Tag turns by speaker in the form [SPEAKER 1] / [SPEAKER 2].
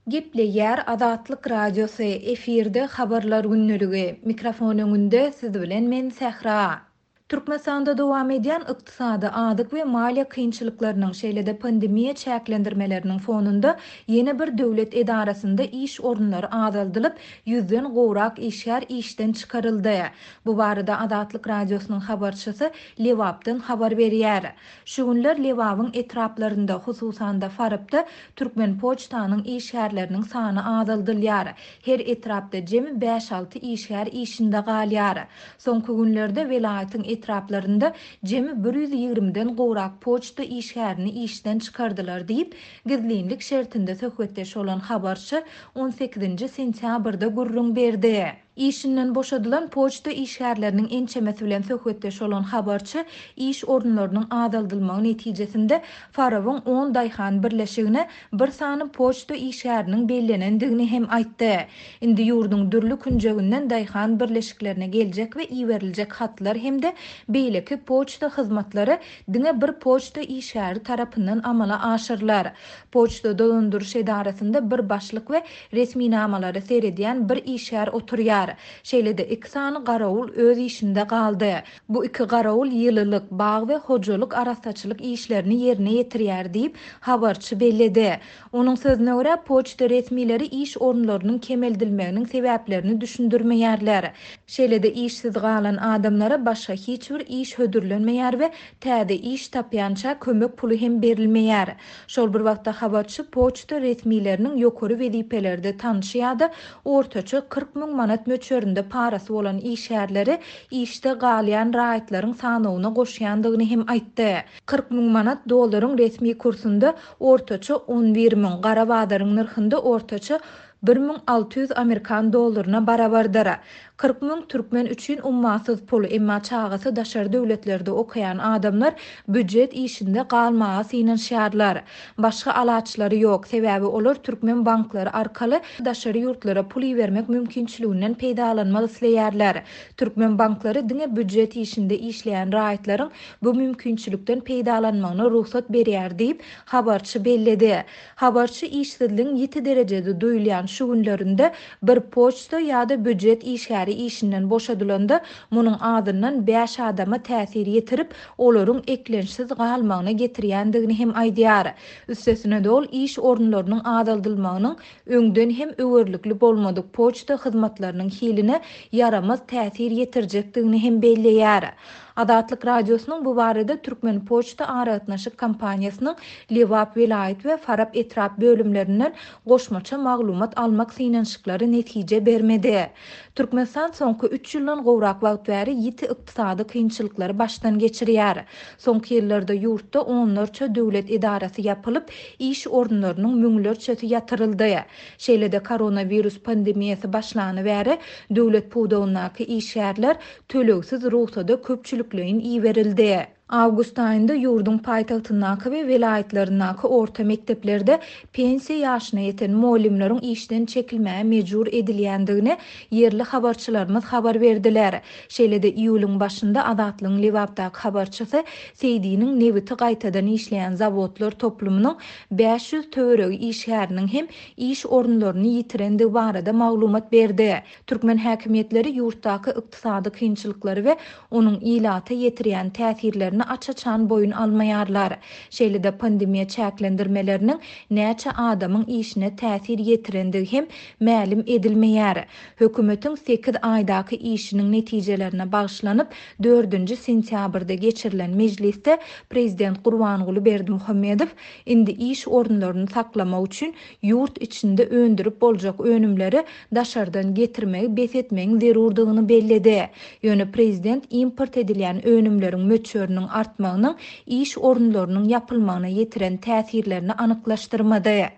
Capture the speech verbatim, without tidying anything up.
[SPEAKER 1] Gepleýär Azatlyk Radiosy, efirde Habarlar gündeligi. Mikrofon öňünde siz bilen men Sähra. Türkmenistanda dowam edýän ykdysady, azyk we maliýe kynçylyklarynyň, şeýle-de pandemiýa çäklendirmeleriniň fonunda ýene bir döwlet edarasynda iş orunlary azaldylyp, ýüzden gowrak işgär işden çykaryldy. Bu barada Azatlyk Radiosynyň habarçysy Lebapdan habar berýär. Şu günler Lebabyň etraplarynda, hususan-da Farapda Türkmenpoçtanyň işgärleriniň sany azaldylýar. Her etrapda jemi bäş-alty işgär işinde galýar. Soňky günlerde welaýatyň etraplarynda jemi bir ýüz ýigrimiden gowrak poçta işgärini işden çykardylar diýip, gizlinlik şertinde söhbetdeş bolan habarçy on sekizinji sentýabrda gürrüň berdi. Işinden boşadylan poçta işgärleriniň ençemesi bilen söhbetdeş bolan habarçy iş orunlarynyň azaldylmagy netijesinde Farabyň on daýhan birleşigine bir sany poçta işgäriniň bellenendigini hem aýtdy. Indi ýurduň dürli künjeginden daýhan birleşiklerine geljek we iberiljek hatlar hem-de beýleki poçta hyzmatlary diňe bir poçta işgäri tarapyndan amala aşyrylar. Poçta dolandyryş edarasynda bir başlyk we resminamalary seredýän bir işgär oturýar. Şeýle-de iki sany garawul öz işinde galdy. Bu iki garawul ýylylyk, bag we hojalyk arassaçylyk işlerini ýerine ýetirýär diýip, habarçy belledi. Onuň sözüne görä, poçta resmileri iş orunlarynyň kemeldilmeginiň sebäplerini düşündirmeýärler. Şeýle-de işsiz galan adamlara başga hiç bir iş hödürlenmeýär we täze iş tapýança kömek puly hem berilmeýär. Şol bir wagtda habarçy poçta resmileriniň ýokary wezipelerde tanşy ýa-da ortaça kyrk müň manat möçberinde parasy bolan işgärleri işde galýan raýatlaryň sanawyna goşýandygyny hem aýtdy. Kyrk müň manat dollaryň resmi kursunda ortaça on bir müň, gara bazaryň nyrhynda ortaça bir müň alty ýüz amerikan dollaryna barabardyr. Kyrk müň türkmen üçin ummasyz pul, emma çagasy daşary döwletlerde okaýan adamlar býujet işinde galmaga synanyşýarlar. Başga alaçlary ýok, sebäbi olar türkmen banklary arkaly daşary ýurtlara pul ibermek mümkinçiliginden peýdalanmak isleýärler. Türkmen banklary diňe býujet işinde işleýän raýatlaryň bu mümkinçilikden peýdalanmagyna rugsat berýär diýip, habarçy belledi. Habarçy işsizligiň ýiti derejede duýulýan şu günlerinde bir poçta ýa-da býujet işgäri işinden boşadylanda munuň azyndan bäş adama täsir ýetirip, olaryň eklençsiz galmagyna getirýändigini hem aýdýar. Üstesine dol iş orunlarynyň azaldylmagynyň öňden hem öwürlikli bolmadyk poçta hyzmatlarynyň hiline ýaramaz täsir ýetirjekdigini hem belleýär. Azatlyk Radiosynyň bu barada Türkmen Poçta aragatnaşyk kompaniýasynyň Lebap welaýat we Farap etrap bölümlerinden goşmaça maglumat almak synanyşyklary netije bermedi. Türkmenistan soňky üç ýyldan gowrak wagt bäri ýiti ykdysady kynçylyklary başdan geçirýär. Soňky ýyllarda ýurtda onlarça döwlet edarasy ýapylyp, iş orunlarynyň müňlerçesi ýatyryldy. Şeýle-de koronawirus pandemiýasy başlany bäri döwlet pudagyndaky işgärler tölegsiz rugsada köpçülikleýin iberildi. Awgust aýynda ýurduň paýtagtyndaky we welaýatlaryndaky orta mekdeplerde pensiýa ýaşyna ýeten mugallymlaryň işden çekilmäge mejbur edilýändigini ýerli habarçylarymyz habar berdiler. Şeýle-de iýulyň başynda Azatlygyň Lebapdaky habarçysy Seýdiniň nebiti gaýtadan işleýän zawodlar toplumynyň bäş ýüz töweregi işgäriniň hem iş orunlaryny ýitirendigi barada maglumat berdi. Türkmen häkimiýetleri ýurtdaky ykdysady kynçylyklary we onuň ilata ýetirýän täsirlerini aç-açan boýun almaýarlar. Şeýle-de pandemiýa çäklendirmeleriniň näçe adamyň işine täsir ýetirendigi hem mälim edilmeýär. Hökümetiň sekiz aýdaky işiniň netijelerine bagyşlanyp, dördünji sentýabrda geçirilen mejlisde Prezident Gurbanguly Berdimuhamedow indi iş orunlaryny saklamak üçin ýurt içinde öndürip boljak önümleri daşardan getirmegi bes etmegiň zerurdygyny belledi. Ýöne prezident import edilýän önümleriň möçberiniň artmagynyň iş orunlarynyň ýapylmagyna ýetiren täsirlerini anyklaşdyrmady.